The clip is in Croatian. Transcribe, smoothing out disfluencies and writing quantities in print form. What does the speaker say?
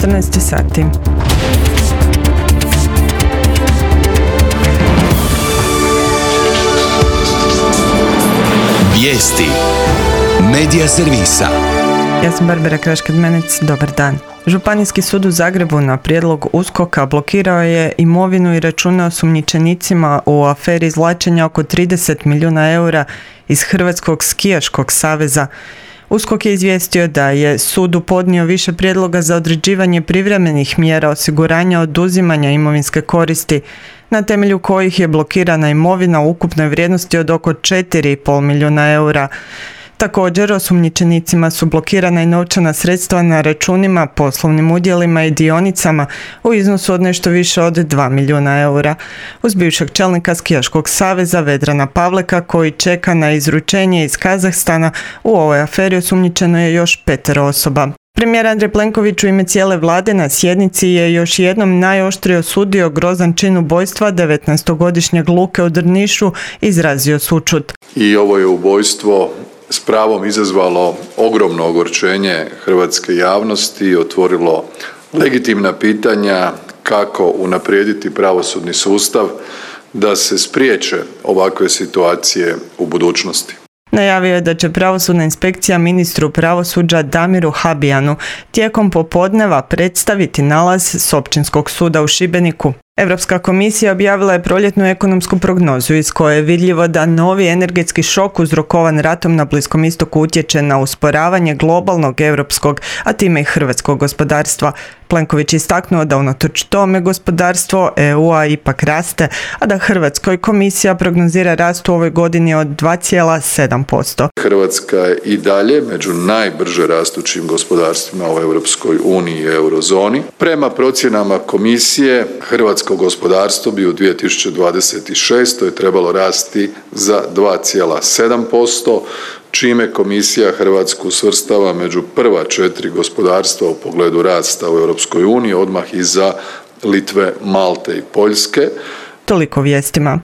14 sati. Vijesti Medija servisa. Ja sam Barbara Kraškad-Menec, dobar dan. Županijski sud u Zagrebu na prijedlog USKOK-a blokirao je imovinu i račune osumnjičenicima u aferi izvlačenja oko 30 milijuna eura iz Hrvatskog skijaškog saveza. USKOK je izvijestio da je sudu podnio više prijedloga za određivanje privremenih mjera osiguranja oduzimanja imovinske koristi, na temelju kojih je blokirana imovina u ukupnoj vrijednosti od oko 4,5 milijuna eura. Također, osumnjičenicima su blokirana i novčana sredstva na računima, poslovnim udjelima i dionicama u iznosu od nešto više od 2 milijuna eura. Uz bivšeg čelnika Skijaškog saveza Vedrana Pavleka, koji čeka na izručenje iz Kazahstana, u ovoj aferi osumnjičeno je još 5 osoba. Premijer Andrej Plenković u ime cijele vlade na sjednici je još jednom najoštrije osudio grozan čin ubojstva 19-godišnjeg Luke u Drnišu, izrazio sućut. I ovo je ubojstvo s pravom izazvalo ogromno ogorčenje hrvatske javnosti i otvorilo legitimna pitanja kako unaprijediti pravosudni sustav da se spriječe ovakve situacije u budućnosti. Najavio je da će pravosudna inspekcija ministru pravosuđa Damiru Habijanu tijekom popodneva predstaviti nalaz s Općinskog suda u Šibeniku. Europska komisija objavila je proljetnu ekonomsku prognozu iz koje je vidljivo da novi energetski šok uzrokovan ratom na Bliskom istoku utječe na usporavanje globalnog, europskog, a time i hrvatskog gospodarstva. Plenković je istaknuo da unatoč tome gospodarstvo EU-a ipak raste, a da Hrvatskoj komisija prognozira rast u ovoj godini od 2,7%. Hrvatska je i dalje među najbrže rastućim gospodarstvima u Europskoj uniji i eurozoni. Prema procjenama komisije, hrvatsko gospodarstvo bi u 2026. trebalo rasti za 2,7%, čime komisija Hrvatsku svrstava među prva 4 gospodarstva u pogledu rasta u Europskoj uniji, odmah iza Litve, Malte i Poljske. Toliko vijestima.